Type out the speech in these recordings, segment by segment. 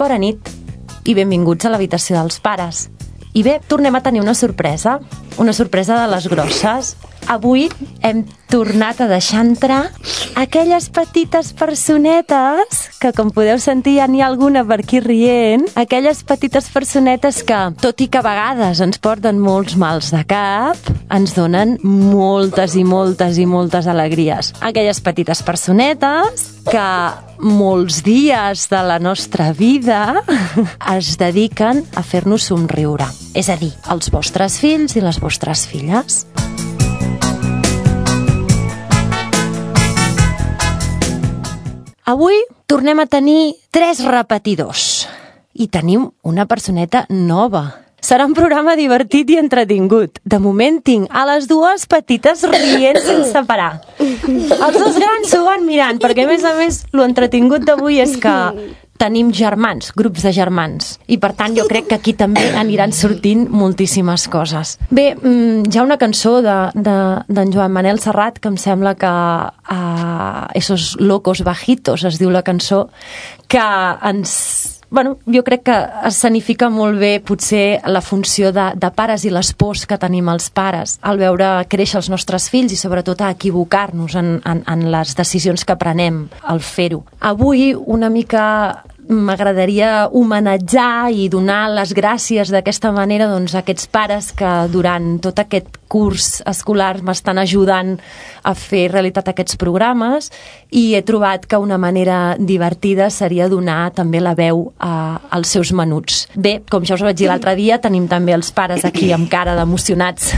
Bona nit i benvinguts a l'habitació dels pares. I bé, tornem a tenir una sorpresa de les grosses. Avui hem tornat a deixar entrar aquelles petites personetes que, com podeu sentir, ja n'hi ha alguna per aquí rient, aquelles petites personetes que, tot i que a vegades ens porten molts mals de cap, ens donen moltes i moltes i moltes alegries. Aquelles petites personetes que molts dies de la nostra vida es dediquen a fer-nos somriure. És a dir, els vostres fills i les vostres filles. Avui tornem a tenir 3 repetidors i tenim una personeta nova. Serà un programa divertit i entretingut. De moment tinc a les 2 petites rient sense parar. Els 2 grans s'ho van mirant, perquè a més, lo entretingut d'avui és que tenim germans, grups de germans, i per tant jo crec que aquí també aniran sortint moltíssimes coses. Bé, hi ha una cançó d'en Joan Manel Serrat que em sembla que Esos locos bajitos es diu la cançó, que jo crec que escenifica molt bé potser la funció de pares i les pors que tenim els pares al veure créixer els nostres fills i sobretot a equivocar-nos en les decisions que prenem al fer-ho. Avui una mica m'agradaria homenatjar i donar les gràcies d'aquesta manera a aquests pares que durant tot aquest curs escolar m'estan ajudant a fer realitat aquests programes, i he trobat que una manera divertida seria donar també la veu als seus menuts. Bé, com ja us vaig dir l'altre dia, tenim també els pares aquí amb cara d'emocionats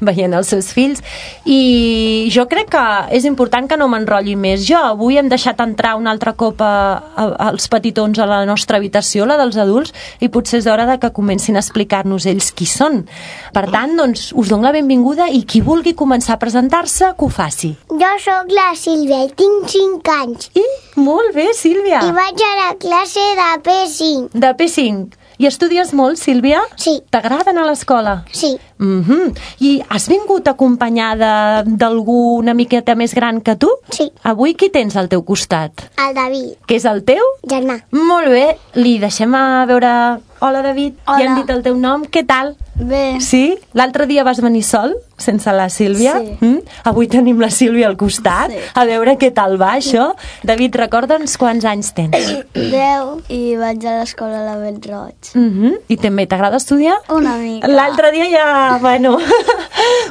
veient els seus fills, i jo crec que és important que no m'enrotlli més. Jo avui hem deixat entrar un altre cop els petitons a la nostra habitació, la dels adults, i potser és hora de que comencin a explicar-nos ells qui són. Per tant, doncs, us dono la benvinguda i qui vulgui començar a presentar-se, que ho faci. Jo sóc la Sílvia i tinc 5 anys. Molt bé, Sílvia. I vaig a la classe de P5. De P5. I estudies molt, Sílvia? Sí. T'agrada anar a l'escola? Sí. I has vingut acompanyada d'algú una miqueta més gran que tu? Sí. Avui qui tens al teu costat? El David. Que és el teu? Germà. Molt bé. Li deixem a veure... Hola, David. Hola. Ja hem dit el teu nom. Què tal? Bé. Sí? L'altre dia vas venir sol, sense la Sílvia? Sí. Avui tenim la Sílvia al costat. Sí. A veure què tal va, això. David, recorda'ns quants anys tens. 10. I vaig a l'escola a la Bellroig. I també t'agrada estudiar? Una mica. L'altre dia ja,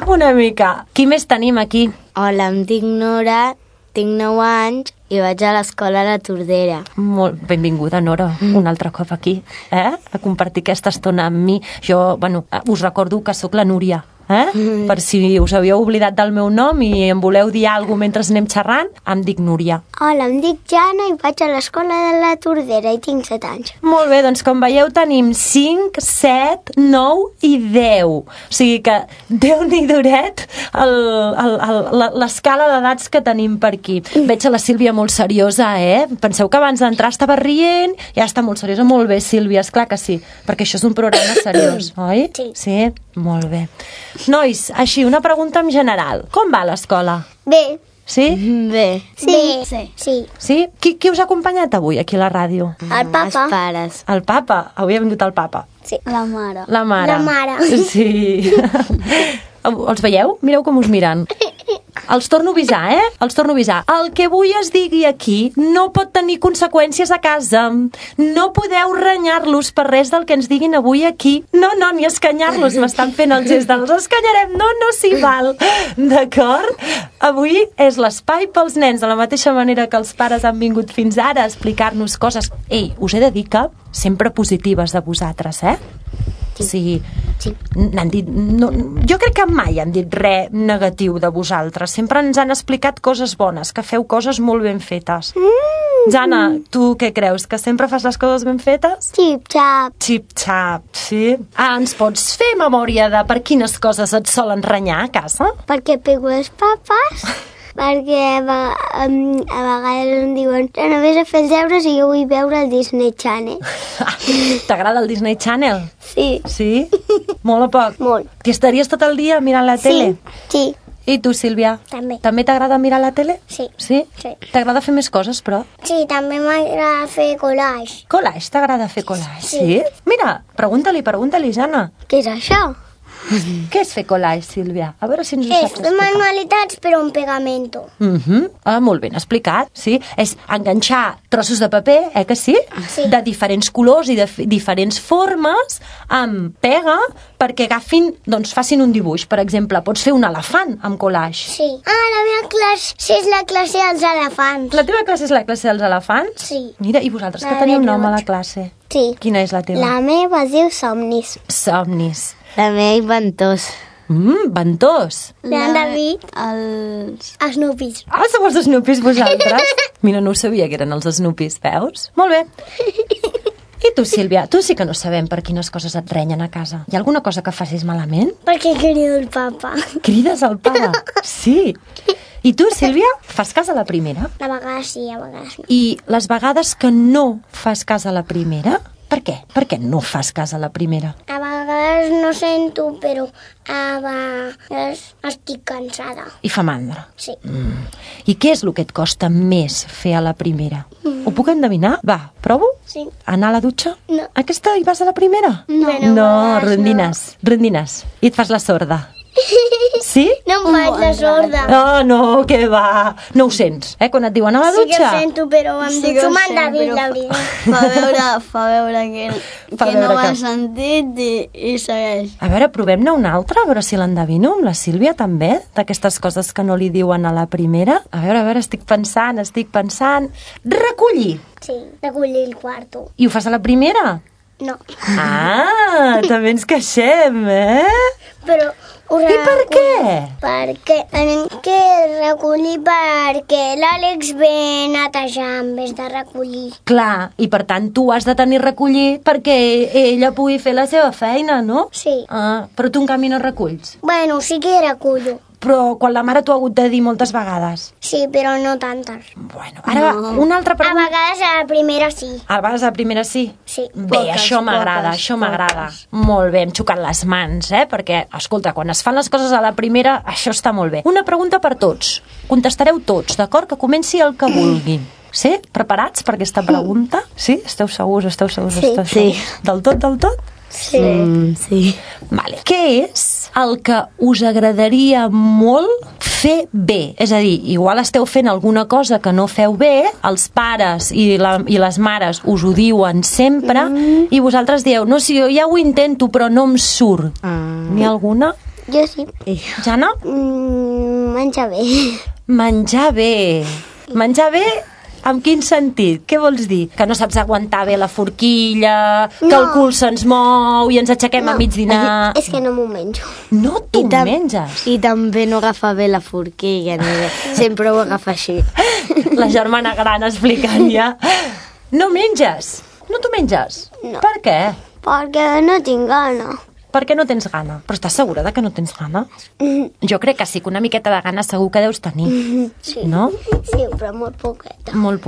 una mica. Qui més tenim aquí? Hola, em dic Nora, tinc 9 anys i vaig a l'escola a la Tordera. Molt benvinguda, Nora, un altre cop aquí, a compartir aquesta estona amb mi. Jo, us recordo que sóc la Núria, per si us havíeu oblidat del meu nom i em voleu dir alguna cosa mentre anem xerrant, em dic Núria. Hola, em dic Jana i vaig a l'escola de la Tordera i tinc 7 anys. Molt bé, doncs com veieu tenim 5, 7, 9 i 10. O sigui que Déu-n'hi-doret l'escala d'edats que tenim per aquí. Veig a la Sílvia molt seriosa, Penseu que abans d'entrar estava rient, ja està molt seriosa. Molt bé, Sílvia, esclar que sí, perquè això és un programa seriós, oi? Sí. Sí? Molt bé. Nois, així, una pregunta en general. Com va l'escola? Bé. Sí? Bé. Sí. Sí? Qui us ha acompanyat avui aquí a la ràdio? El papa. Els pares. El papa? Avui ha vingut el papa. Sí. La mare. La mare. La mare. Sí. Els veieu? Mireu com us miren. Els torno a avisar, Els torno a avisar. El que avui es digui aquí no pot tenir conseqüències a casa. No podeu renyar-los per res del que ens diguin avui aquí. No, ni escanyar-los. M'estan fent el gest dels escanyarem. No s'hi val. D'acord? Avui és l'espai pels nens, de la mateixa manera que els pares han vingut fins ara a explicar-nos coses. Ei, us he de dir que sempre positives de vosaltres, Sí. N'han dit, jo crec que mai han dit res negatiu de vosaltres. Sempre ens han explicat coses bones, que feu coses molt ben fetes. Jana, tu què creus? Que sempre fas les coses ben fetes? Xip-xap. Xip-xap, sí. Ens pots fer memòria de per quines coses et solen renyar a casa? Perquè pego els papes. Perquè a vegades em diuen que no vés a fer els deures i jo vull veure el Disney Channel. T'agrada el Disney Channel? Sí. Sí? Molt o poc? Molt. T'hi estaries tot el dia mirant la tele? Sí. I tu, Sílvia? També. També t'agrada mirar la tele? Sí. Sí? Sí. T'agrada fer més coses, però? Sí, també m'agrada fer collage. Collage, t'agrada fer collage? Sí. Mira, pregunta-li, Jana. Què és això? Què és fer collage, Sílvia? A veure si ens ho És saps fer explicar. manualitats però amb pegamento. Molt ben explicat, sí. És enganxar trossos de paper, que sí? Sí. De diferents colors i de diferents formes amb pega perquè agafin, doncs facin un dibuix. Per exemple, pots fer un elefant amb collage. Sí. La meva classe és la classe dels elefants. La teva classe és la classe dels elefants? Sí. Mira, i vosaltres que La teniu de nom a la roig. classe? Sí. Quina és la teva? La meva es diu Somnis. Somnis. La meva inventós. Ventós. La David. Els... Snoopis. Sou els Snoopis vosaltres? Mira, no ho sabia que eren els Snoopis, veus? Molt bé. I tu, Sílvia, tu sí que no sabem per quines coses et renyen a casa. Hi ha alguna cosa que facis malament? Perquè crido el papa. Crides al pare? Sí. I tu, Sílvia, fas cas a la primera? A vegades sí, a vegades no. I les vegades que no fas cas a la primera, per què? Per què no fas cas a la primera? A vegades no sento, però a vegades estic cansada. I fa mandra. Sí. I què és el que et costa més fer a la primera? Ho puc endevinar? Va, provo? Sí. Anar a la dutxa? No. Aquesta hi vas a la primera? No. No, rondines. I et fas la sorda. Sí? No em faig la sorda. No, que va. No ho sents, quan et diuen a la Sí que dutxa? ho sento, però em Sí dic que ho com en sent, David, però la veritat. Fa veure que Fa no veure ho ha que- sentit i segueix. A veure, provem-ne una altra, a veure si l'endevino, amb la Sílvia també, d'aquestes coses que no li diuen a la primera. A veure, estic pensant. Recollir. Sí, recollir el quarto. I ho fas a la primera? No. També ens queixem, Però ho I per què? Perquè tenim que recollir perquè l'Àlex ve netejar en vez de recollir. Clar, i per tant tu has de tenir recollir perquè ella pugui fer la seva feina, no? Sí. Però tu en canvi no reculls. Bueno, sí que recullo. Però quan la mare t'ho ha hagut de dir moltes vegades. Sí, però no tantes. Bueno, ara una altra A pregunta. vegades a la primera sí. A vegades a la primera sí? Sí. Bé, això m'agrada. Molt bé, hem xocat les mans, perquè, escolta, quan es fan les coses a la primera, això està molt bé. Una pregunta per tots. Contestareu tots, d'acord? Que comenci el que vulguin. Sí? Preparats per aquesta pregunta? Sí? Esteu segurs? Sí. Del tot? Sí. Sí. Vale. Què és el que us agradaria molt fer bé? És a dir, igual esteu fent alguna cosa que no feu bé, els pares i les mares us ho diuen sempre, i vosaltres dieu, no, sí, jo ja ho intento, però no em surt. N'hi ha alguna? Jo sí. Jana? Menja bé. Menjar bé. Menjar bé en quin sentit? Què vols dir? Que no saps aguantar bé la forquilla, que el cul se'ns mou i ens aixequem a mig dinar... És que no m'ho menjo. No t'ho menges? I també no agafa bé la forquilla, ni bé. Sempre ho agafa així. La germana gran explicant ja. No menges? No t'ho menges? No. Per què? Perquè no tinc gana. Per què no tens gana? Però estàs segura de que no tens gana? Jo crec que sí, que una miqueta de gana segur que deus tenir. Sí. No? Sí, però molt poqueta. Molt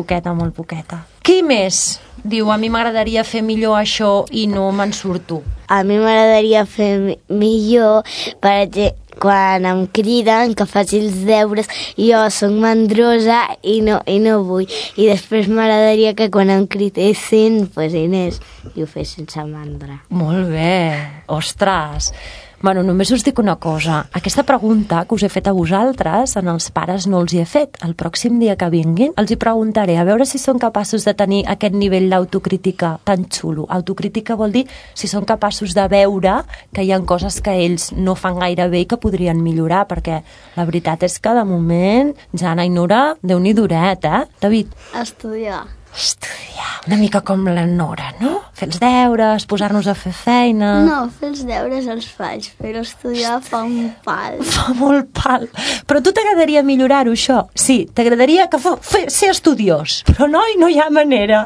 poqueta. Qui més diu, a mi m'agradaria fer millor això i no me'n surto? A mi m'agradaria fer millor, per exemple, quan em criden que faci els deures, jo soc mandrosa i no vull. I després m'agradaria que quan em cridessin, pues Inés, i ho fes sense mandra. Molt bé. Ostres. Bueno, només us dic una cosa. Aquesta pregunta que us he fet a vosaltres, en els pares no els hi he fet. El pròxim dia que vinguin els hi preguntaré a veure si són capaços de tenir aquest nivell d'autocrítica tan xulo. Autocrítica vol dir si són capaços de veure que hi ha coses que ells no fan gaire bé i que podrien millorar, perquè la veritat és que de moment, Jana i Nora, Déu-n'hi-do duret, David? Estudiar. Una mica com la Nora, no? Fer els deures, posar-nos a fer feina... No, fer els deures els faig, però estudiar fa un pal. Fa molt pal. Però a tu t'agradaria millorar-ho, això? Sí, t'agradaria que ser estudiós. Però no hi ha manera.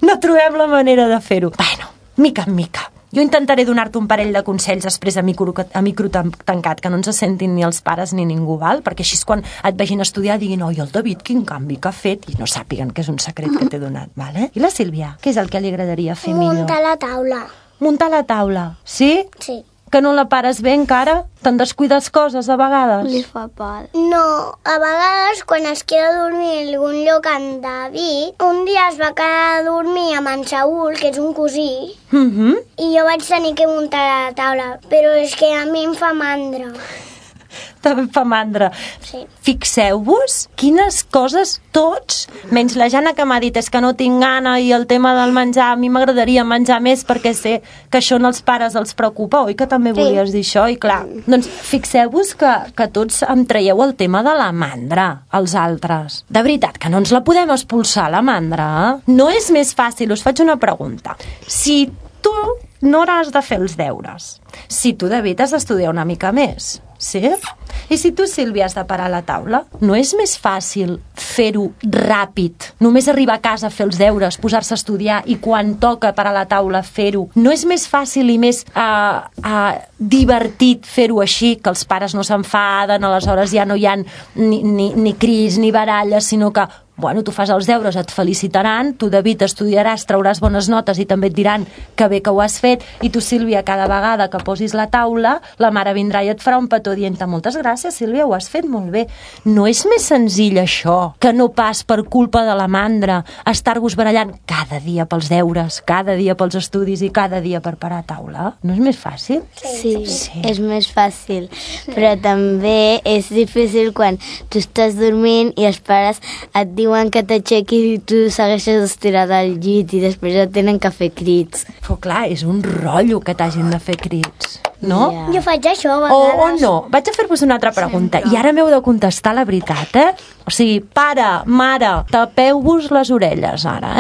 No trobem la manera de fer-ho. Bueno, mica en mica. Jo intentaré donar-te un parell de consells després a micro tancat, que no ens sentin ni els pares ni ningú, val? Perquè així quan et vegin estudiar diguin, oi, el David, quin canvi que ha fet, i no sàpiguen que és un secret que t'he donat, vale? I la Sílvia, què és el que li agradaria fer millor? Muntar la taula. Muntar la taula, sí? Sí. Que no la pares bé encara? Te'n descuides coses a vegades? Li fa por. No, a vegades quan es queda a dormir en algun lloc en David, un dia es va quedar a dormir amb en Saúl, que és un cosí, i jo vaig tenir que muntar a la taula, però és que a mi em fa mandra. També fa mandra. Sí. Fixeu-vos quines coses tots, menys la Jana que m'ha dit és que no tinc gana i el tema del menjar, a mi m'agradaria menjar més perquè sé que això als pares els preocupa, oi que també volies dir això? I clar, doncs fixeu-vos que tots em traieu el tema de la mandra, els altres. De veritat, que no ens la podem expulsar, la mandra? No és més fàcil, us faig una pregunta. Si tu no has de fer els deures, si tu, David, has d'estudiar una mica més, sí? I si tu, Sílvia, has de parar a la taula, no és més fàcil fer-ho ràpid, només arribar a casa a fer els deures, posar-se a estudiar i quan toca parar a la taula fer-ho? No és més fàcil i més divertit fer-ho així, que els pares no s'enfaden, aleshores ja no hi ha ni crits ni baralles, sinó que bueno, tu fas els deures, et felicitaran, tu, David, estudiaràs, trauràs bones notes i també et diran que bé que ho has fet, i tu, Sílvia, cada vegada que posis la taula, la mare vindrà i et farà un petó dient-te moltes gràcies, Sílvia, ho has fet molt bé. No és més senzill això, que no pas per culpa de la mandra estar-vos barallant cada dia pels deures, cada dia pels estudis i cada dia per parar a taula? No és més fàcil? Sí, és més fàcil, però també és difícil quan tu estàs dormint i els pares et diuen que t'aixequis i tu segueixes estirat al llit i després et tenen que fer crits. Però clar, és un rotllo que t'hagin de fer crits, no? Ja. Jo faig això a vegades. O no. Vaig a fer-vos una altra pregunta i ara m'heu de contestar la veritat, O sigui, pare, mare, tapeu-vos les orelles ara,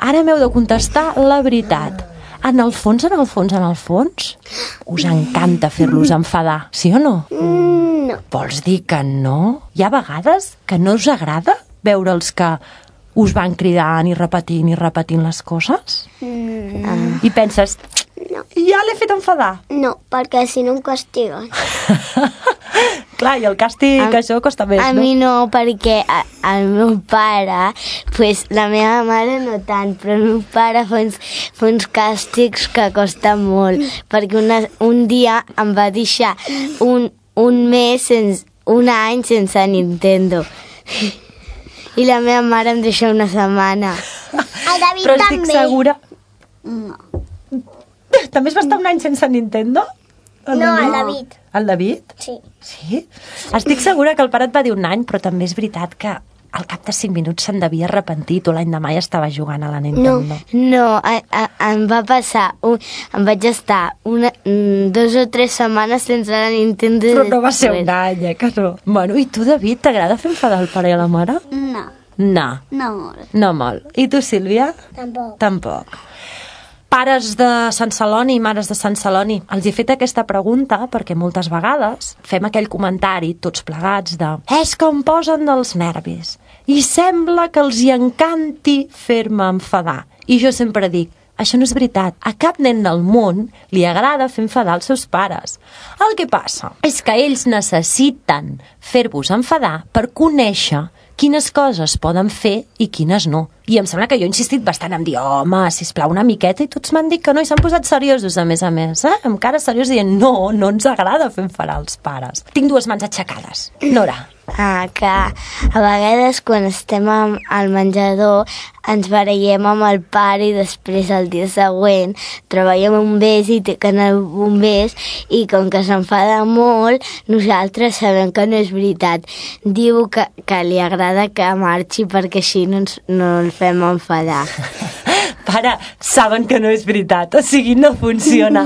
Ara m'heu de contestar la veritat. En el fons, us encanta fer-los enfadar, sí o no? No. Vols dir que no? Hi ha vegades que no us agrada veure'ls que us van cridant i repetint les coses? I penses, ja l'he fet enfadar. No, perquè si no em castiguen. Clar, i el càstig, això costa més, A no? mi no, perquè el meu pare, pues, la meva mare no tant, però el meu pare fa uns càstigs que costa molt, perquè un dia em va deixar un any sense Nintendo. I la meva mare em deixa una setmana. El David Però estic també. segura... No. També es va estar un any sense Nintendo? No, el David. El David? Sí. Sí? Estic segura que el pare et va dir un any, però també és veritat que al cap de 5 minuts se'n devia arrepentir, tu l'any demà ja estava jugant a la Nintendo. No, em va passar, em vaig estar 2 o 3 setmanes sense la Nintendo. Però no va ser un any, que no. Bueno, i tu, David, t'agrada fer enfadar el pare i la mare? No. No. No molt. No molt. I tu, Sílvia? Tampoc. Tampoc. Pares de Sant Celoni i mares de Sant Celoni, els he fet aquesta pregunta perquè moltes vegades fem aquell comentari tots plegats de és que em posen dels nervis i sembla que els hi encanti fer-me enfadar. I jo sempre dic, això no és veritat. A cap nen del món li agrada fer enfadar els seus pares. El que passa és que ells necessiten fer-vos enfadar per conèixer quines coses poden fer i quines no. I em sembla que jo he insistit bastant en dir home, sisplau, una miqueta, i tots m'han dit que no, i s'han posat seriosos, a més, amb cara seriós, dient no ens agrada fer enfadar els pares. Tinc 2 mans aixecades. Nora. Que a vegades quan estem al menjador ens barallem amb el pare i després el dia següent treballem un bes i té que anar a un bes i com que s'enfada molt nosaltres sabem que no és veritat. Diu que li agrada que marxi perquè així no el fem enfadar. Pare, saben que no és veritat, o sigui, no funciona.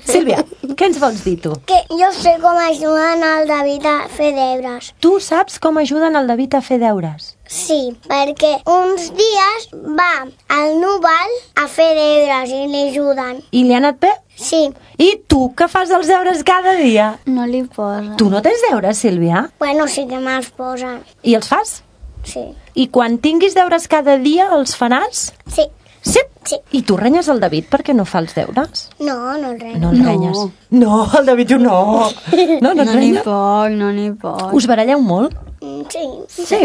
Sílvia, què ens vols dir tu? Que jo sé com ajuden el David a fer deures. Tu saps com ajuden el David a fer deures? Sí, perquè uns dies va al Núvol a fer deures i li ajuden. I li ha anat bé? Sí. I tu, que fas els deures cada dia? No li posa. Tu no tens deures, Sílvia? Bueno, sí que me'ls posen. I els fas? Sí. I quan tinguis deures cada dia, els faràs? Sí. Sí? Sí. I tu renyes el David perquè no fa els deures? No el renyo. No el renyes? No, el David jo no. No et renya? No n'hi poc. Us baralleu molt? Sí. Sí.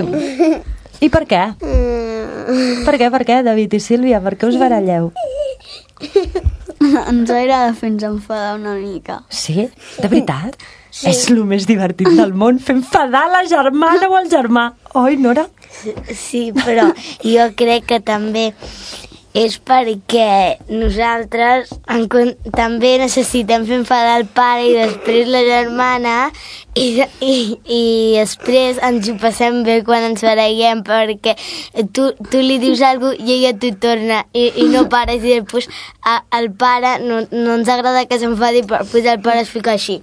I per què? Per què, David i Sílvia? Per què us baralleu? Ens agrada fer-nos enfadar una mica. Sí? De veritat? Sí. És el més divertit del món, fer enfadar la germana o el germà. Oi, Nora? Sí, però jo crec que també és perquè nosaltres també necessitem fer enfadar el pare i després la germana i després ens ho passem bé quan ens barallem, perquè tu li dius alguna cosa i ella t'ho torna i no pares, i després al pare no ens agrada que s'enfadi, però després el pare es fica així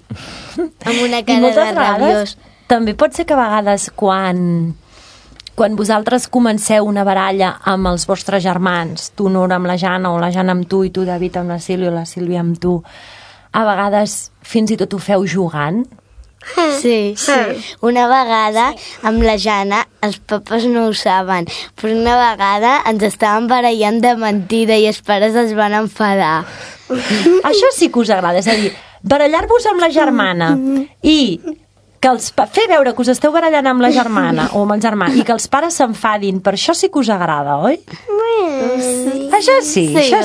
amb una cara de rabiós. També pot ser que a vegades quan vosaltres comenceu una baralla amb els vostres germans, tu, Nora, amb la Jana, o la Jana amb tu, i tu, David, amb la Sílvia, o la Sílvia amb tu, a vegades fins i tot ho feu jugant? Sí. Una vegada amb la Jana, els papes no ho saben, però una vegada ens estàvem barallant de mentida i els pares es van enfadar. Això sí que us agrada, és a dir, barallar-vos amb la germana i fer veure que us esteu barallant amb la germana o amb el germà i que els pares s'enfadin, per això sí que us agrada, oi? Sí. Això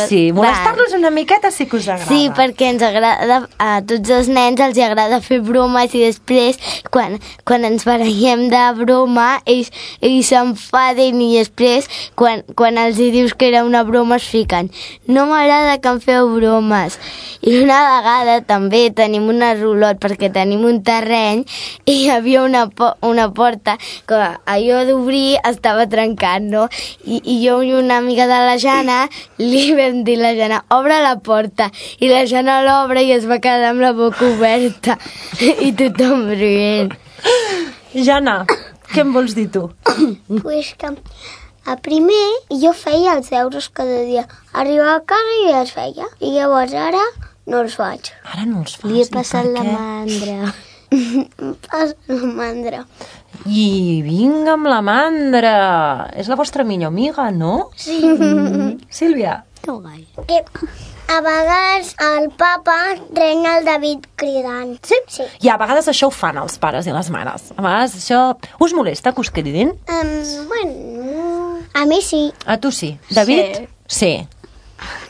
sí. Molestar-los una miqueta sí que us agrada. Sí, perquè ens agrada, a tots els nens els agrada fer bromes i després, quan ens barallem de broma, ells s'enfaden i després, quan els dius que era una broma, es fiquen. No m'agrada que em feu bromes. I una vegada també tenim una rulot perquè tenim un terreny i hi havia una porta que allò d'obrir estava trencant, no? I jo i una amiga de la Jana li vam dir a la Jana, obre la porta, i la Jana l'obre i es va quedar amb la boca oberta i tothom rient. Jana, què em vols dir tu? Pues que a primer jo feia els deures cada dia. Arribava a casa i els feia. I llavors ara no els faig. Ara no els fas? Li he passat la mandra. La mandra. I vinga amb la mandra. És la vostra millor amiga, no? Sí. Sílvia? Que a vegades el papa renya el David cridant. Sí? Sí. I a vegades això ho fan els pares i les mares. A vegades això... Us molesta que us cridin? Bueno, a mi sí. A tu sí. David? Sí.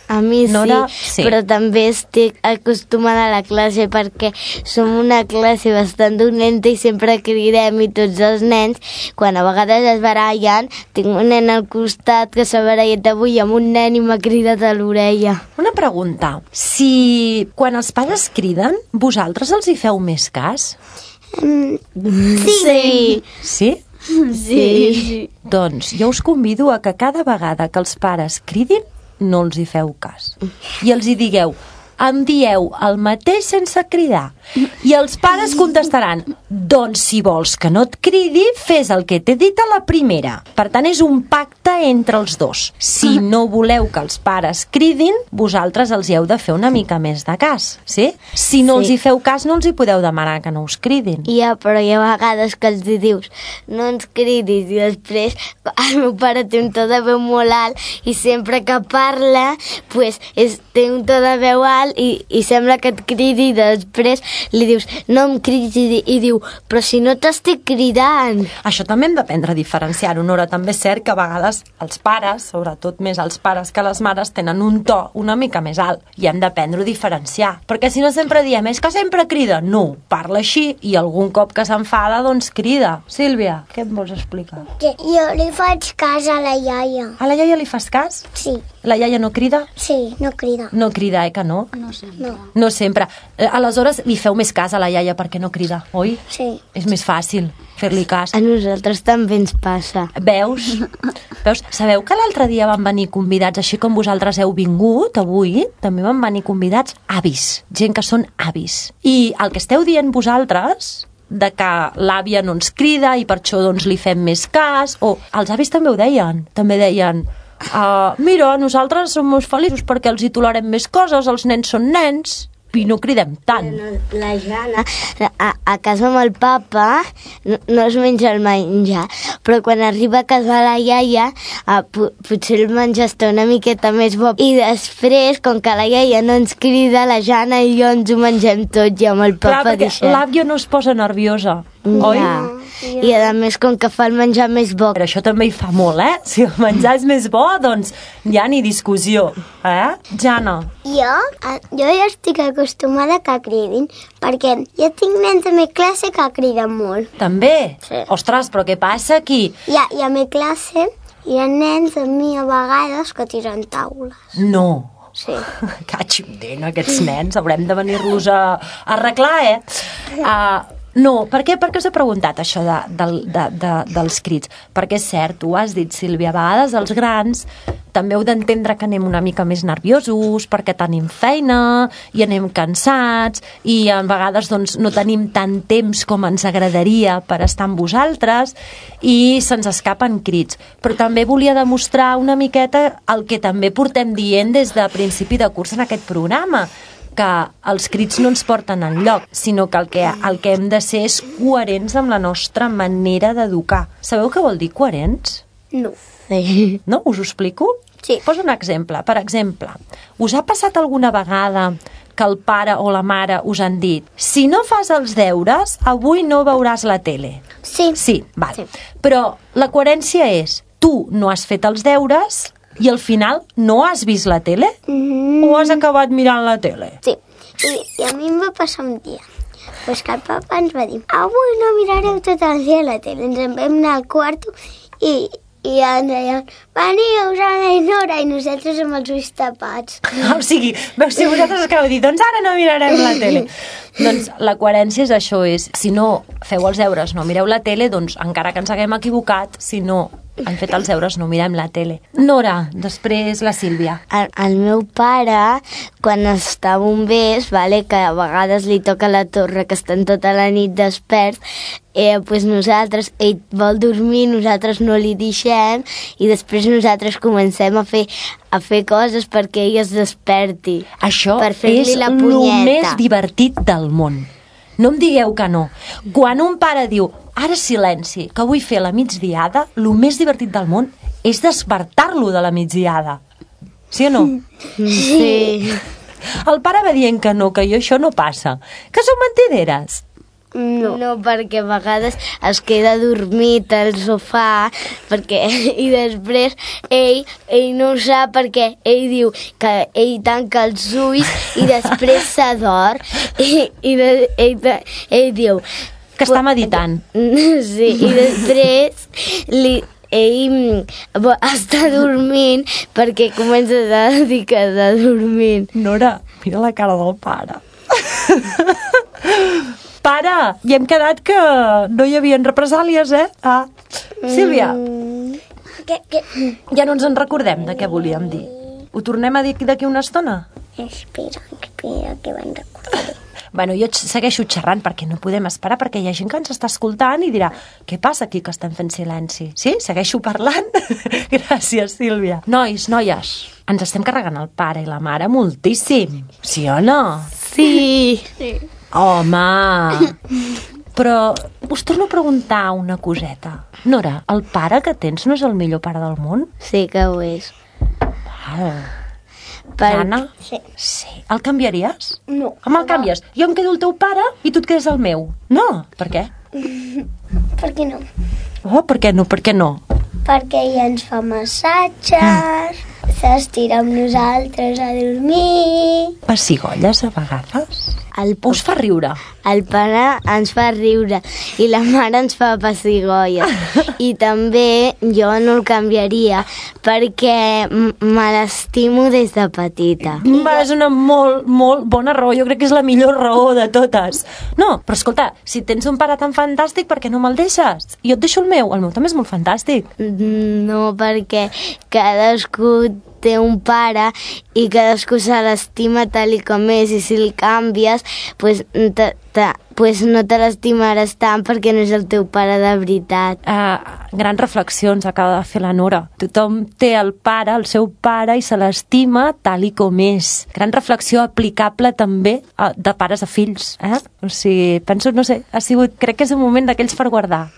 A mi Nora, sí, però també estic acostumada a la classe perquè som una classe bastant dolenta i sempre cridem, i tots els nens, quan a vegades es barallen, tinc un nen al costat que s'ha barallat avui amb un nen i m'ha cridat a l'orella. Una pregunta. Si quan els pares criden, vosaltres els hi feu més cas? Sí. Sí? Sí. Doncs jo us convido a que cada vegada que els pares cridin, no els hi feu cas. I els hi digueu, em dieu el mateix sense cridar. I els pares contestaran, doncs si vols que no et cridi, fes el que t'he dit a la primera. Per tant, és un pacte entre els dos. Si no voleu que els pares cridin, vosaltres els hi heu de fer una mica més de cas, sí? Si no els hi feu cas, no els hi podeu demanar que no us cridin. Però hi ha vegades que els dius, no ens cridis, i després el meu pare té un to de veu molt alt i sempre que parla, pues, té un to de veu alt i sembla que et cridi, i després li dius, no em cridis, i diu, però si no t'estic cridant. Això també hem d'aprendre a diferenciar-ho, Nora. També és cert que a vegades els pares, sobretot més els pares que les mares, tenen un to una mica més alt i hem d'aprendre a diferenciar. Perquè si no sempre diem, és que sempre crida. No, parla així i algun cop que s'enfada, doncs crida. Sílvia, què em vols explicar? Que jo li faig cas a la iaia. A la iaia li fas cas? Sí. La iaia no crida? Sí, no crida. No crida, que no? No sempre. No sempre. Aleshores, li feu més cas a la iaia perquè no crida, oi? Sí. És més fàcil fer-li cas. A nosaltres també ens passa. Veus? Sabeu que l'altre dia van venir convidats, així com vosaltres heu vingut avui, també van venir convidats avis, gent que són avis. I el que esteu dient vosaltres, de que l'àvia no ens crida i per això doncs li fem més cas, o els avis també ho deien, mira, nosaltres som molt feliços perquè els hi tolerem més coses, els nens són nens i no cridem tant. La Jana, a casa amb el papa, no es menja el menjar, però quan arriba a casa la iaia, potser el menjar està una miqueta més bo. I després, com que la iaia no ens crida, la Jana i jo ens ho mengem tot i amb el papa deixem. L'àvia no es posa nerviosa. Oi? I a més, com que fa el menjar més bo. Però això també hi fa molt, Si el menjar és més bo, doncs ja ni discussió, Jana? Jo ja estic acostumada que cridin, perquè jo tinc nens a mi classe que criden molt. També? Sí. Ostres, però què passa aquí? I a mi classe hi ha nens amb mi a vegades que tiren taules. No. Sí. Catxindent, aquests nens, haurem de venir-los a arreglar, No, per què us he preguntat això dels crits? Perquè és cert, tu has dit, Sílvia, a vegades els grans també heu d'entendre que anem una mica més nerviosos perquè tenim feina i anem cansats i a vegades doncs, no tenim tant temps com ens agradaria per estar amb vosaltres i se'ns escapen crits. Però també volia demostrar una miqueta el que també portem dient des de principi de curs en aquest programa, que els crits no ens porten enlloc, sinó que el que hem de ser és coherents amb la nostra manera d'educar. Sabeu què vol dir coherents? No. Sí. No? Us ho explico? Sí. Poso un exemple. Per exemple, us ha passat alguna vegada que el pare o la mare us han dit si no fas els deures, avui no veuràs la tele? Sí. Sí, val. Sí. Però la coherència és tu no has fet els deures i al final no has vist la tele? O has acabat mirant la tele? Sí. I a mi em va passar un dia. Pues que el papa ens va dir avui no mirareu tot el dia la tele. Ens en vam anar al quarto i ens deien veniu, Jana i Nora, i nosaltres amb els ulls tapats. O sigui, veus, si vosaltres acabeu de dir doncs ara no mirarem la tele. Doncs la coherència és això, si no feu els deures, no mireu la tele, doncs encara que ens haguem equivocat, si no han fet els deures, no mirem la tele. Nora, després la Sílvia. El meu pare, quan està a bombers, que a vegades li toca la torre, que estan tota la nit desperts, pues nosaltres, ell vol dormir, nosaltres no li deixem, i després nosaltres comencem a fer coses perquè ell es desperti. Això per fer-li és la el punyeta. més divertit del món. No em digueu que no. Quan un pare diu ara silenci, que vull fer la migdiada, el més divertit del món és despertar-lo de la migdiada. Sí o no? Sí. El pare va dient que no, que això no passa. Que són mentideres. No, perquè a vegades es queda dormit al sofà i després ell no ho sap perquè ell diu que ell tanca els ulls i després s'adorm i ell diu que està meditant. Sí, i després ell està dormint perquè comença a dir que està dormint. Nora, mira la cara del pare. Pare, i hem quedat que no hi havia represàlies, Sílvia, ja no ens en recordem de què volíem dir. Ho tornem a dir d'aquí una estona? Espera, que van recordar. Bueno, jo segueixo xerrant perquè no podem esperar, perquè hi ha gent que ens està escoltant i dirà què passa aquí que estem fent silenci? Sí? Segueixo parlant? Gràcies, Sílvia. Nois, noies, ens estem carregant el pare i la mare moltíssim. Sí o no? Sí. Home! Però us torno a preguntar una coseta. Nora, el pare que tens no és el millor pare del món? Sí que ho és. Jana? Sí. Sí. El canviaries? No. Home, el canvies. Jo em quedo el teu pare i tu et quedes el meu. No. Per què? Per què no? Oh, per què no? Per què no? Perquè ella ens fa massatges, s'estira amb nosaltres a dormir. Pessigolles a vegades? Us fa riure? El pare ens fa riure i la mare ens fa pessigolles. I també jo no el canviaria perquè me l'estimo des de petita. És una molt, molt bona raó. Jo crec que és la millor raó de totes. No, però escolta, si tens un pare tan fantàstic, per què no me'l deixes? Jo et deixo el meu també és molt fantàstic. No, perquè cadascú té un pare i cadascú se l'estima tal i com és, i si el canvies pues no te l'estimaràs tant perquè no és el teu pare de veritat. Grans reflexions acaba de fer la Nora. Tothom té el seu pare i se l'estima tal i com és. Gran reflexió aplicable també de pares a fills. O sigui, penso, no sé, crec que és un moment d'aquells per guardar.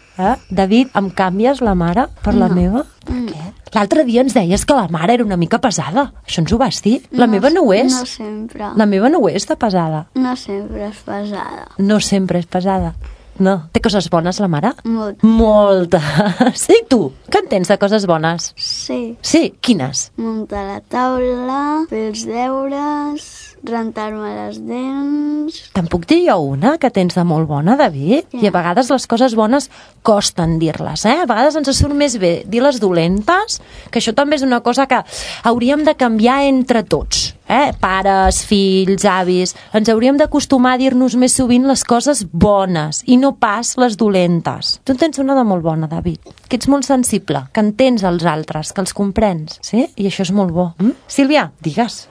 David, em canvies la mare per la meva? Per què? L'altre dia ens deies que la mare era una mica pesada. Això ens ho vas dir? La meva no ho és. No sempre. La meva no ho és de pesada. No sempre és pesada. No sempre és pesada. No. Té coses bones, la mare? Molt. Moltes. I tu? Què en tens de coses bones? Sí. Sí, quines? Muntar la taula, fer els deures, rentar-me les dents... Te'n puc dir jo una que tens de molt bona, David? Sí. I a vegades les coses bones costen dir-les, eh? A vegades ens surt més bé dir les dolentes, que això també és una cosa que hauríem de canviar entre tots, eh? Pares, fills, avis... Ens hauríem d'acostumar a dir-nos més sovint les coses bones i no pas les dolentes. Tu en tens una de molt bona, David, que ets molt sensible, que entens els altres, que els comprens, sí? I això és molt bo. Sílvia, digues.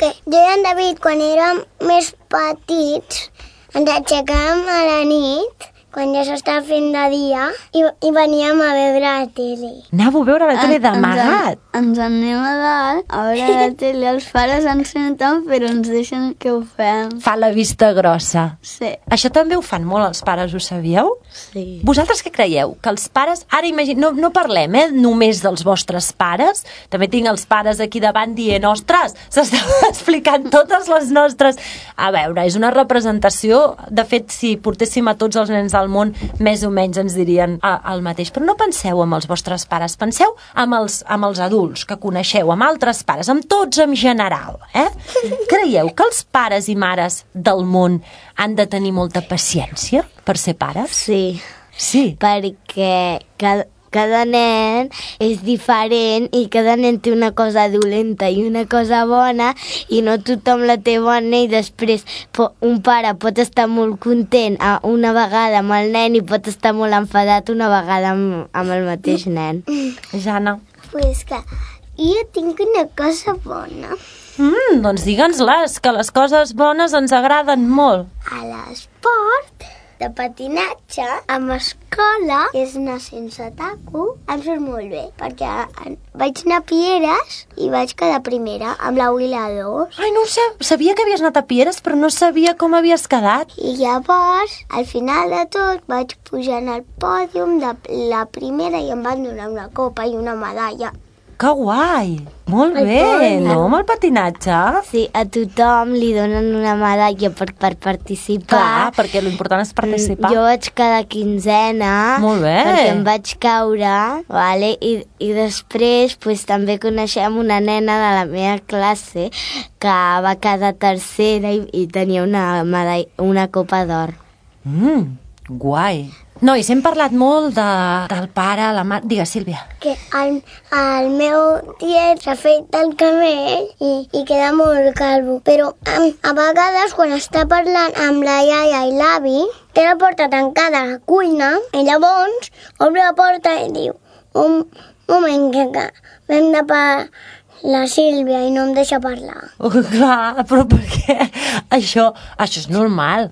Que jo i en David, quan érem més petits, ens aixecàvem a la nit, quan ja s'estava fent de dia, i veníem a veure la tele. Anàveu a veure la tele d'amagat. Ens anem a dalt, a veure la tele, els pares ens senten, però ens deixen que ho fem. Fa la vista grossa. Sí. Això també ho fan molt els pares, ho sabíeu? Sí. Vosaltres què creieu? Que els pares... Ara no parlem, només dels vostres pares. També tinc els pares aquí davant dient, ostres, s'estan explicant totes les nostres... A veure, és una representació. De fet, si portéssim a tots els nens del món, més o menys ens dirien el mateix. Però no penseu amb els vostres pares, penseu amb els adults que coneixeu, amb altres pares, amb tots en general. Creieu que els pares i mares del món han de tenir molta paciència per ser pares? Sí, Sí. perquè cada nen és diferent i cada nen té una cosa dolenta i una cosa bona i no tothom la té bona i després un pare pot estar molt content una vegada amb el nen i pot estar molt enfadat una vegada amb el mateix nen. Jana? Pues que jo tinc una cosa bona. Doncs digue'ns-les, que les coses bones ens agraden molt. A l'esport de patinatge, amb escola, és anar sense taco, em surt molt bé, perquè vaig anar a Pieres i vaig quedar primera amb la 1 i la 2. Ai, no ho sé, sabia que havies anat a Pieres, però no sabia com havies quedat. I llavors, al final de tot, vaig pujar en el pòdium de la primera i em van donar una copa i una medalla. Que guai! Molt Ai, bé, bona. no? Amb el patinatge. Sí, a tothom li donen una medalla per participar. Clar, perquè l'important és participar. Jo vaig quedar 15ena. Molt bé. Perquè em vaig caure, vale? I després també coneixem una nena de la meva classe que va quedar tercera i tenia una copa d'or. Guai. Nois, hem parlat molt del pare, la mare... Digues, Sílvia. Que el meu tiet s'ha fet el camell i queda molt calvo. Però a vegades, quan està parlant amb la iaia i l'avi, té la porta tancada a la cuina i llavors obre la porta i diu un moment que vam de la Sílvia i no em deixa parlar. Clar, però perquè això és normal.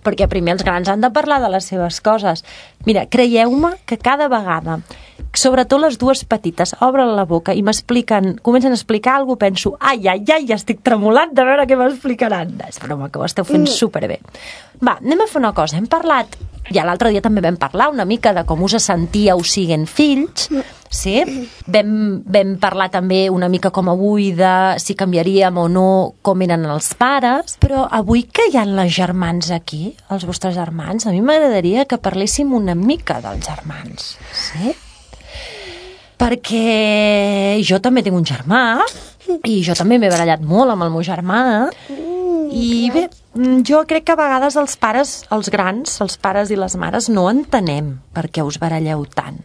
Perquè primer els grans han de parlar de les seves coses. Mira, creieu-me que cada vegada, sobretot les dues petites, obren la boca i comencen a explicar alguna cosa, penso, ai, ja estic tremolant de veure què m'explicaran. És broma, que ho esteu fent superbé. Va, anem a fer una cosa. Hem parlat, ja l'altre dia també vam parlar una mica de com us sentíeu siguent fills, sí? Vam parlar també una mica com avui de si canviaríem o no com eren els pares, però avui que hi ha les germans aquí, els vostres germans, a mi m'agradaria que parléssim una mica dels germans, sí? Perquè jo també tinc un germà i jo també m'he barallat molt amb el meu germà i bé, jo crec que a vegades els pares, els grans, els pares i les mares no entenem per què us baralleu tant.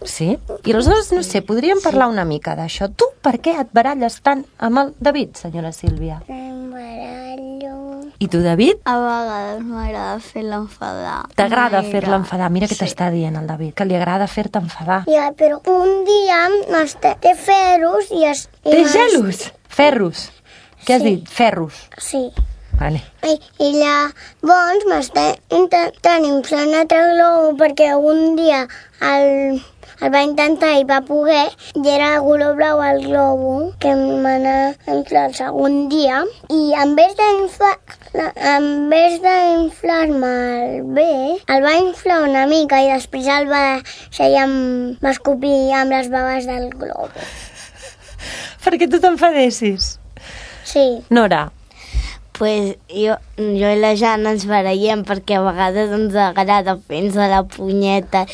Sí? I aleshores, no sé, podríem parlar una mica d'això. Tu per què et baralles tant amb el David, senyora Sílvia? Em barallo. I tu, David? A vegades m'agrada fer-la enfadar. T'agrada fer-la enfadar? Mira què t'està dient el David, que li agrada fer-te enfadar. Ja, però un dia té ferros i... Té gelos? Ferros? Què has Sí. dit? Ferros. Sí. Vale. I llavors m'està intentant inflar un altre globo perquè un dia el va intentar i va poder i era de color blau el globo que m'anà a inflar el segon dia i en vez d'inflar-me'l bé el va inflar una mica i després el va escopir amb les baves del globo. Perquè tu t'enfadessis. Sí. Nora? Pues jo i la Jana ens barallem perquè a vegades ens agrada fer-nos la punyeta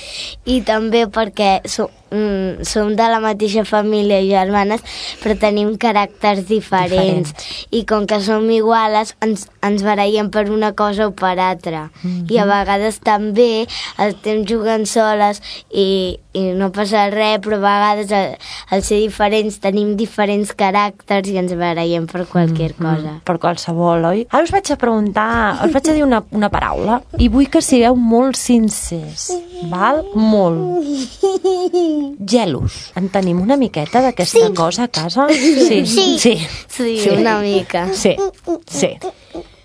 i també perquè som de la mateixa família i germanes, però tenim caràcters diferents. I com que som iguales ens barallem per una cosa o per altra. I a vegades també estem jugant soles i no passa res, però a vegades al ser diferents tenim diferents caràcters i ens barallem per qualsevol cosa. Per qualsevol, oi? Ara us vaig a preguntar, us vaig a dir una paraula i vull que sigueu molt sincers, val? Molt. Gelos. En tenim una miqueta d'aquesta cosa a casa? Sí, una mica. Sí.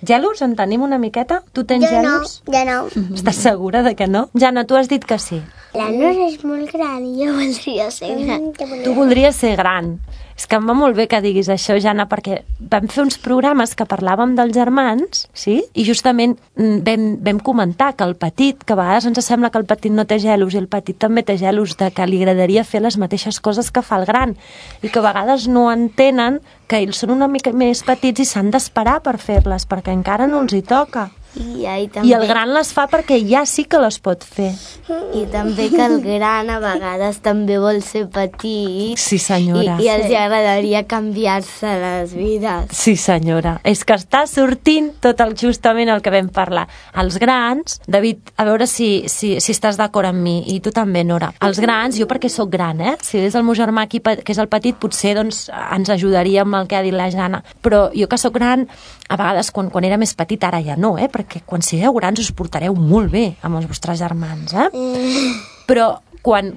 Gelos, en tenim una miqueta? Tu tens gelos? Jo no. Estàs segura de que no? Jana, tu has dit que sí. La Nora és molt gran i jo voldria ser gran. Tu voldries ser gran. És que em va molt bé que diguis això, Jana, perquè vam fer uns programes que parlàvem dels germans, sí? I justament vam comentar que el petit, que a vegades ens sembla que el petit no té gelos i el petit també té gelos, de que li agradaria fer les mateixes coses que fa el gran i que a vegades no entenen que ells són una mica més petits i s'han d'esperar per fer-les, perquè encara no els hi toca. I el gran les fa perquè ja sí que les pot fer. I també que el gran a vegades també vol ser petit. Sí, senyora. I els agradaria canviar-se les vides. Sí, senyora. És que està sortint justament el que vam parlar. Els grans, David, a veure si estàs d'acord amb mi, i tu també, Nora. Els grans, jo perquè sóc gran, si és el meu germà aquí, que és el petit, potser doncs, ens ajudaria amb el que ha dit la Jana. Però jo que sóc gran, a vegades quan era més petit, ara ja no, perquè quan sigueu grans us portareu molt bé amb els vostres germans, Però quan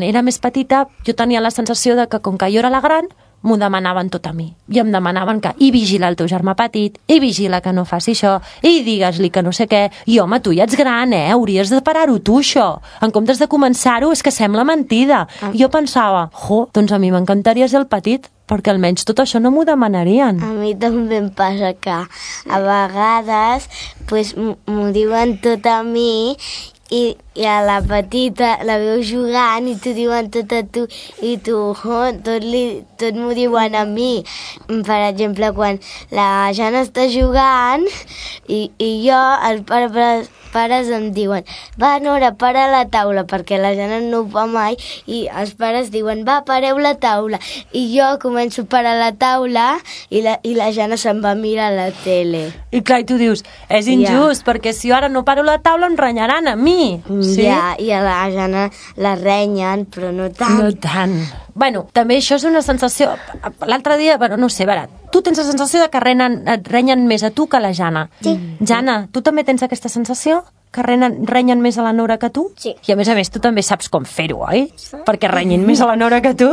era més petita jo tenia la sensació de que com que jo era la gran m'ho demanaven tot a mi. I em demanaven que i vigila el teu germà petit, i vigila que no faci això, i digues-li que no sé què. I home, tu ja ets gran, hauries de parar-ho tu, això. En comptes de començar-ho, és que sembla mentida. I jo pensava, doncs a mi m'encantaria ser el petit, perquè almenys tot això no m'ho demanarien. A mi també em passa que a vegades m'ho diuen tot a mi i a la petita la veu jugant i t'ho diuen tot a tu i tu tot m'ho diuen a mi. Per exemple, quan la Jana està jugant i jo, els pares em diuen va, Nora, para la taula, perquè la Jana no ho fa mai i els pares diuen va, pareu la taula, i jo començo a parar la taula i la Jana se'n va a mirar la tele. I clar, i tu dius, és injust, perquè si jo ara no paro la taula em renyaran a mi. Sí? Ja, i a la Jana la renyen, però no tant. No tant. Bueno, també això és una sensació... L'altre dia, no sé, tu tens la sensació de que et renyen més a tu que a la Jana. Sí. Jana, tu també tens aquesta sensació? Que renyen més a la Nora que tu? Sí. I a més tu també saps com fer-ho, oi? Sí. Perquè renyin més a la Nora que tu?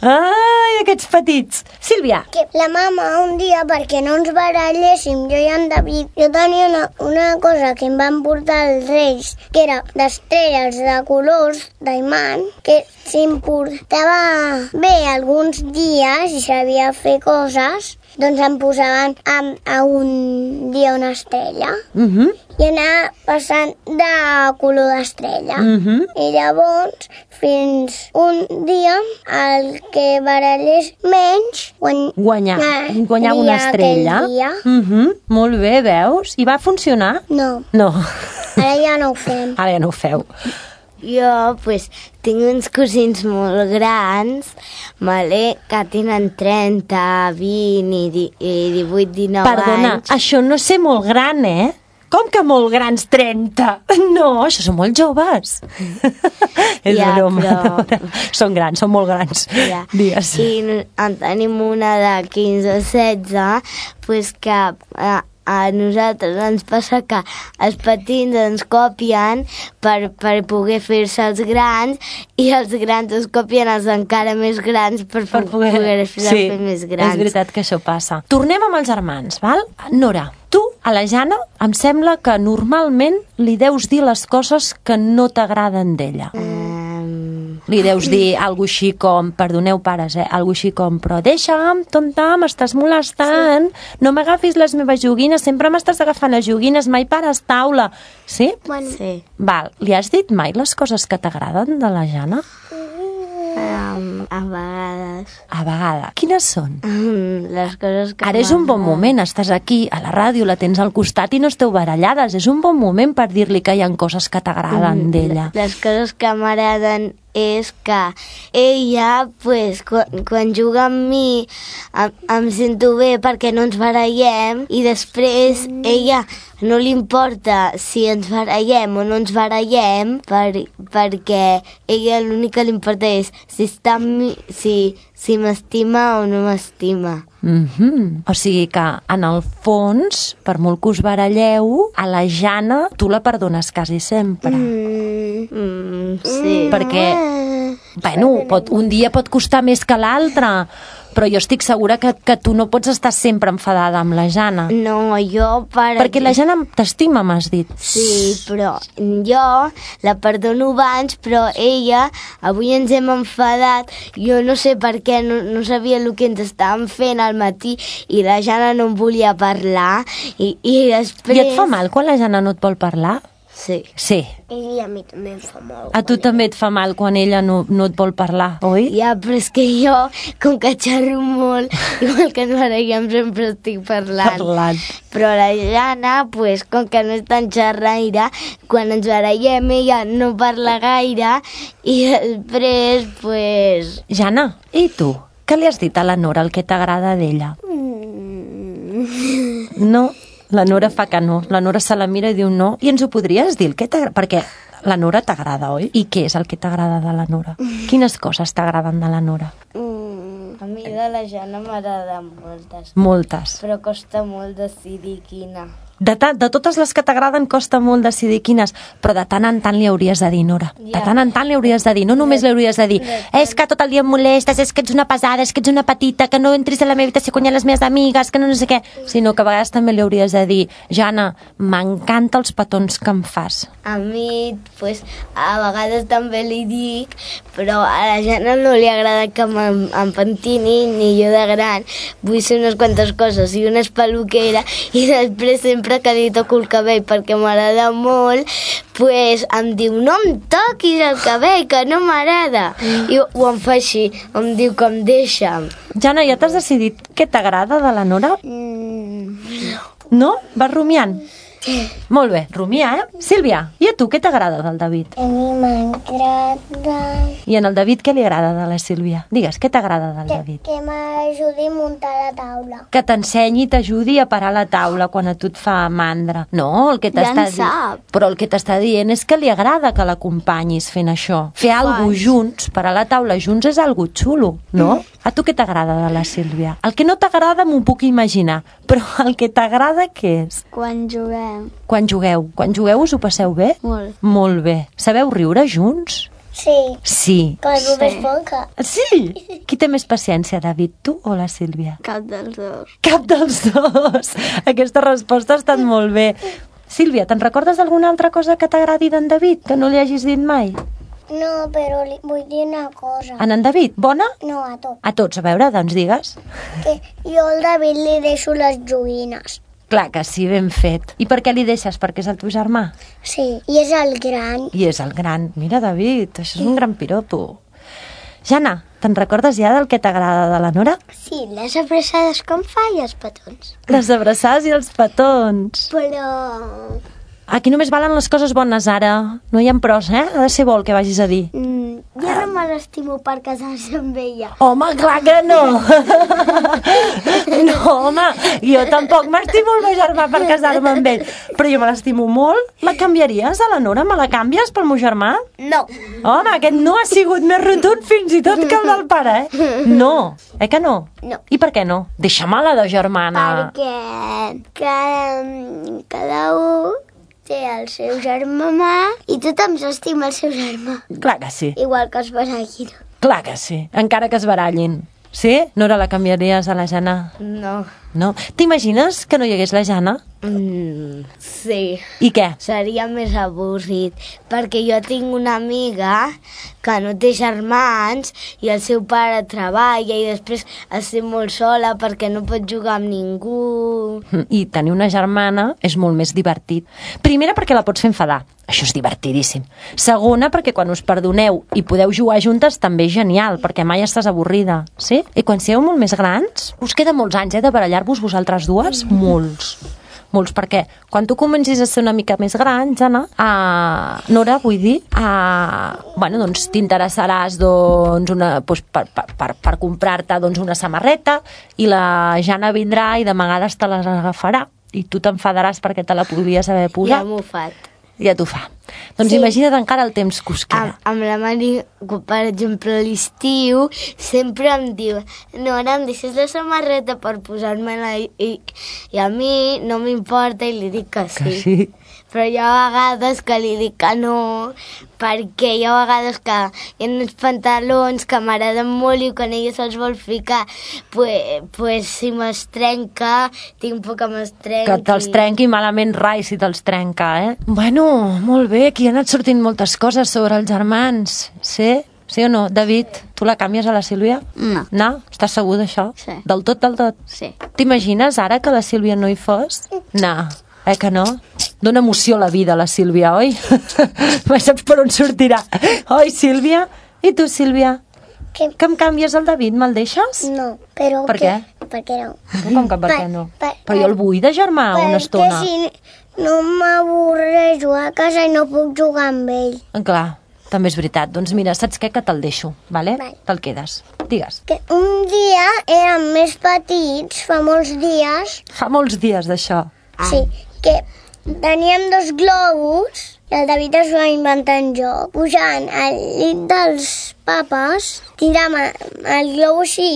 Ai, aquests petits! Sílvia! Que la mama un dia, perquè no ens baralléssim, jo i en David, jo tenia una cosa que em van portar els Reis, que era d'estrelles de colors d'imant, que si em portava bé alguns dies i sabia fer coses, doncs em posaven a un dia una estrella. I anava passant de color d'estrella. I llavors, fins un dia, el que barallés menys guanyava una estrella. Molt bé, veus? I va funcionar? No. Ara ja no ho fem. Ara ja no ho feu. Jo, tinc uns cosins molt grans, que tenen 30, 20 i 18, 19 anys. Perdona, això no sé molt gran, Com que molt grans, 30? No, això són molt joves. És broma. Però... Són grans, són molt grans. Digues. I en tenim una de 15 o 16, que a nosaltres ens passa que els petits ens copien per poder fer-se els grans i els grans es copien els encara més grans per poder fer més grans. És veritat que això passa. Tornem amb els germans, val? Nora, tu, a la Jana, em sembla que normalment li deus dir les coses que no t'agraden d'ella. Li deus dir alguna així com, perdoneu pares, alguna així com, però deixa'm, tonta, m'estàs molestant, no m'agafis les meves joguines, sempre m'estàs agafant les joguines, mai pares taula. Sí? Bueno. Sí. Val, li has dit mai les coses que t'agraden de la Jana? A vegades. A vegades. Quines són? Les coses que Ara és un bon moment, estàs aquí a la ràdio, la tens al costat i no esteu barallades. És un bon moment per dir-li que hi ha coses que t'agraden d'ella. Les coses que m'agraden és que ella, pues, quan juga amb mi, em sento bé perquè no ens barallem i després ella no li importa si ens barallem o no ens barallem perquè ella l'únic que li importa és si m'estima o no m'estima. O sigui que, en el fons, per molt que us baralleu, a la Jana tu la perdones quasi sempre. Sí. Perquè, bueno, un dia pot costar més que l'altre, però jo estic segura que tu no pots estar sempre enfadada amb la Jana. No, jo... Perquè la Jana t'estima, m'has dit. Sí, però jo la perdono abans, però ella, avui ens hem enfadat, jo no sé per què, no sabia el que ens estàvem fent al matí i la Jana no em volia parlar i després... I et fa mal quan la Jana no et vol parlar? Sí. Sí. I a mi també em fa mal. A tu també et fa mal quan ella no et vol parlar, oi? Ja, però és que jo, com que xerro molt, igual que ens barallem, sempre estic parlant. Però la Jana, pues, com que no és tan xerraire, quan ens barallem ella no parla gaire i després, pues... Jana, i tu? Què li has dit a la Nora, el que t'agrada d'ella? No? La Nora fa que no. La Nora se la mira i diu no. I ens ho podries dir? El que t'agrada? Perquè la Nora t'agrada, oi? I què és el que t'agrada de la Nora? Quines coses t'agraden de la Nora? A mi de la Jana m'agraden moltes. Moltes. Però costa molt decidir quina. De totes les que t'agraden costa molt decidir quines, però de tant en tant li hauries de dir, Nora. De tant en tant li hauries de dir, no només li hauries de dir és que tot el dia em molestes, és que ets una pesada, és que ets una petita, que no entris a la meva habitació quan hi ha les meves amigues, que no sé què, sinó que a vegades també li hauries de dir Jana, m'encanta els petons que em fas. A mi, pues, a vegades també li dic, però a la Jana no li agrada que em pentini, ni jo de gran vull ser unes quantes coses, i una és peluquera, i després sempre que li toco el cabell perquè m'agrada molt, pues em diu no em toquis el cabell, que no m'agrada. I ho em fa així, em diu que em deixa. Jana, ja t'has decidit què t'agrada de la Nora? No? Vas rumiant? Molt bé, rumia, Sílvia, i a tu què t'agrada del David? A mi m'agrada... I en el David què li agrada de la Sílvia? Digues, què t'agrada del David? Que m'ajudi a muntar la taula. Que t'ensenyi i t'ajudi a parar la taula quan a tu et fa mandra. No, el que t'està dient... Però el que t'està dient és que li agrada que l'acompanyis fent això. Fer alguna cosa junts, parar la taula junts és algo xulo, no? A tu què t'agrada de la Sílvia? El que no t'agrada m'ho puc imaginar, però el que t'agrada què és? Quan juguem. Quan jugueu us ho passeu bé? Molt. Molt bé. Sabeu riure junts? Sí. Sí. Que la Nora és poca. Sí? Qui té més paciència, David, tu o la Sílvia? Cap dels dos. Cap dels dos. Aquesta resposta ha estat molt bé. Sílvia, te'n recordes d'alguna altra cosa que t'agradi d'en David, que no li hagis dit mai? No, però li vull dir una cosa. En David, bona? No, a tot. A tots, a veure, doncs digues. Que jo al David li deixo les joguines. Clar que sí, ben fet. I per què li deixes? Perquè és el teu germà? Sí, i és el gran. I és el gran. Mira, David, això és un gran piropo. Jana, te'n recordes ja del que t'agrada de la Nora? Sí, les abraçades com fa i els petons. Les abraçades i els petons. Però... Aquí només valen les coses bones, ara. No hi ha pros, Ha de ser bo el que vagis a dir. Jo no me l'estimo per casar-se amb ella. Home, clar que no! No, home, jo tampoc m'estimo el meu germà per casar-me amb ell. Però jo me l'estimo molt. La canviaries, a la Nora? Me la canvies pel meu germà? No. Home, aquest no ha sigut més rotund fins i tot que el del pare, No. Que no? No. I per què no? Deixa-me-la de germana. Perquè cada un té el seu germà i tothom s'estima el seu germà. Clar que sí. Igual que es barallin. Clar que sí. Encara que es barallin. Sí? Nora, la canviaries a la Jana? No. No? T'imagines que no hi hagués la Jana? Sí. I què? Seria més avorrit, perquè jo tinc una amiga que no té germans i el seu pare treballa i després es sent molt sola perquè no pot jugar amb ningú. I tenir una germana és molt més divertit. Primera, perquè la pots fer enfadar. Això és divertidíssim. Segona, perquè quan us perdoneu i podeu jugar juntes també és genial, perquè mai estàs avorrida, sí? I quan sigueu molt més grans, us queda molts anys, de barallar-vos vosaltres dues? Molts, perquè quan tu comencis a ser una mica més gran, Jana, Nora, vull dir, doncs t'interessaràs per comprar-te una samarreta i la Jana vindrà i de vegades te les agafarà i tu t'enfadaràs perquè te la podries haver posat. Ja m'ho fa. Ja t'ho fa. Doncs imagina't encara el temps que us queda. Amb la Mari, per exemple, a l'estiu, sempre em diu Nora, em deixes la samarreta per posar-me-la i a mi no m'importa i li dic que sí. Que sí. Però hi ha vegades que li dic que no, perquè hi ha vegades que hi ha uns pantalons que m'agraden molt i quan ella se'ls vol ficar, pues si me'ls trenca, tinc por que me'ls trenqui. Que te'ls trenqui malament rai si te'ls trenca, Bueno, molt bé, aquí han anat sortint moltes coses sobre els germans, sí? Sí o no? David, tu la canvies a la Sílvia? No. No? Estàs segur d'això? Sí. Del tot? Sí. T'imagines ara que la Sílvia no hi fos? No. Que no? Dóna emoció a la vida, la Sílvia, oi? Saps per on sortirà. Oi, Sílvia? I tu, Sílvia? Què? Que em canvies el David? Me'l deixes? No, però... Per què? Per què no? Com que per què no? Però jo el vull de germà una estona. Perquè si no m'avorrejo a casa i no puc jugar amb ell. Clar, també és veritat. Doncs mira, saps què? Que te'l deixo, vale? Vale. Te'l quedes. Digues. Que un dia érem més petits, fa molts dies, Fa molts dies d'això. sí, que teníem 2 globus i el David es va inventar en joc. Pujant al llit dels papes, tiràvem el globo així,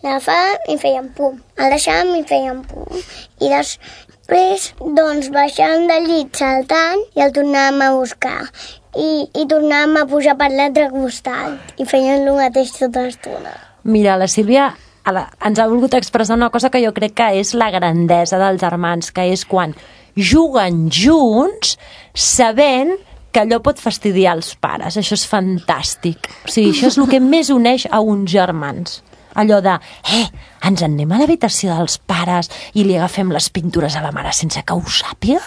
l'agafàvem i fèiem pum. El deixàvem i fèiem pum. I després, doncs, baixàvem del llit saltant i el tornàvem a buscar. I tornàvem a pujar per l'altre costat i fèiem el mateix tota l'estona. Mira, la Sílvia ens ha volgut expressar una cosa que jo crec que és la grandesa dels germans, que és quan juguen junts sabent que allò pot fastidiar els pares. Això és fantàstic. O sigui, això és el que més uneix a uns germans. Allò de, ens en anem a l'habitació dels pares i li agafem les pintures a la mare sense que ho sàpiga?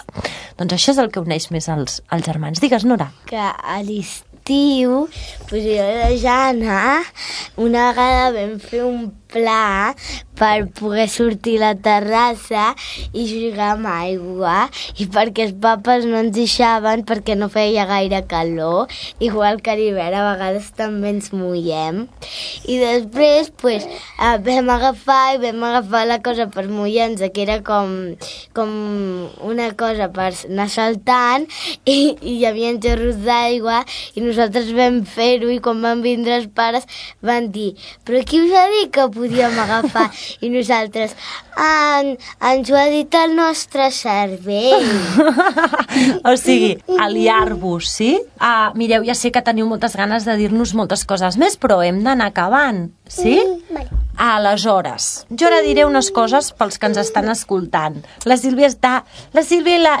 Doncs això és el que uneix més els germans. Digues, Nora. Que a l'estiu, pues jo i la Jana, una vegada vam fer un pla per poder sortir a la terrassa i jugar amb aigua i perquè els papes no ens deixaven perquè no feia gaire calor, igual que a l'hivern a vegades també ens mullem. I després pues, vam agafar la cosa per mullar-nos, que era com una cosa per anar saltant i hi havia xorros d'aigua i nosaltres vam fer-ho i quan van vindre els pares van dir, però qui us ha dit que podíem agafar? I nosaltres, ens ho ha dit el nostre cervell. O sigui, aliar-vos, sí? Mireu, ja sé que teniu moltes ganes de dir-nos moltes coses més, però hem d'anar acabant, sí? Vale. Aleshores, jo ara diré unes coses pels que ens estan escoltant. La Sílvia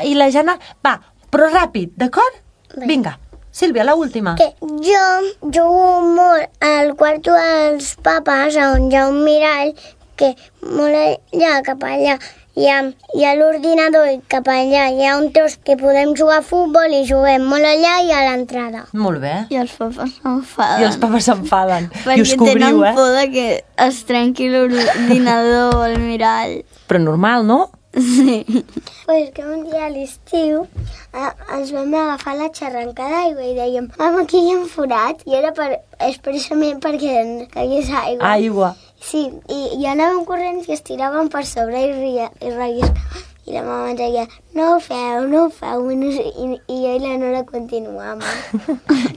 i la Jana... Va, però ràpid, d'acord? Vinga. Sílvia, l'última. Que jo jugo molt al quarto dels papes, on hi ha un mirall, que molt allà, cap allà, hi ha l'ordinador i cap allà hi ha un tros que podem jugar a futbol i juguem molt allà i a l'entrada. Molt bé. I els papes s'enfaden. I els papes s'enfaden. I us Perquè cobriu, tenen por de que es trenqui l'ordinador o el mirall. Però normal, no? Sí. Pues que un dia a l'estiu ens vam agafar la xarranca d'aigua i dèiem, aquí hi ha un forat, i era expressament perquè caigués aigua. Aigua. Sí, i anàvem corrents i estiràvem per sobre i relliscàvem. I la mama ens deia, no ho feu, i jo i la Nora continuàvem.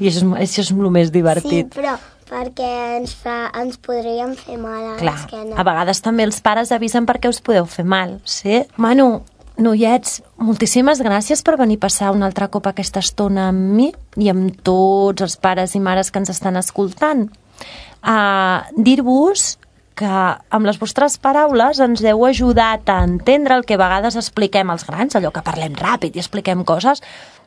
I això és el més Sí, divertit. però perquè ens podríem fer mal a Clar, l'esquena. a vegades també els pares avisen perquè us podeu fer mal, sí? Manu, noiets, moltíssimes gràcies per venir a passar un altre cop aquesta estona amb mi i amb tots els pares i mares que ens estan escoltant. Dir-vos que amb les vostres paraules ens heu ajudat a entendre el que a vegades expliquem als grans, allò que parlem ràpid i expliquem coses,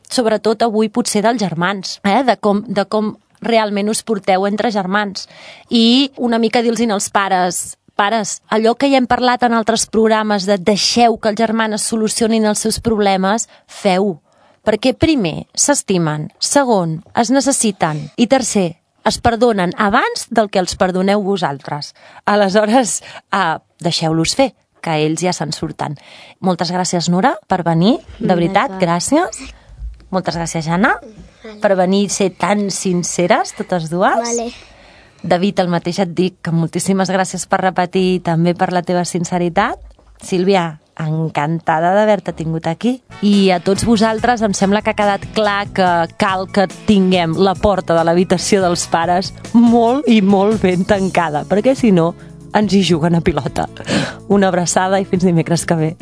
sobretot avui potser dels germans, de com realment us porteu entre germans. I una mica dir-los als pares, allò que ja hem parlat en altres programes de deixeu que els germans solucionin els seus problemes, feu-ho, perquè primer s'estimen, segon, es necessiten i tercer, es perdonen abans del que els perdoneu vosaltres. Aleshores, deixeu-los fer, que ells ja se'n surten. Moltes gràcies, Nora, per venir. De veritat, gràcies. Moltes gràcies, Jana, per venir i ser tan sinceres, totes dues. Vale. David, el mateix et dic, que moltíssimes gràcies per repetir i també per la teva sinceritat. Sílvia, encantada d'haver-te tingut aquí. I a tots vosaltres em sembla que ha quedat clar que cal que tinguem la porta de l'habitació dels pares molt i molt ben tancada, perquè si no ens hi juguen a pilota. Una abraçada i fins dimecres que ve.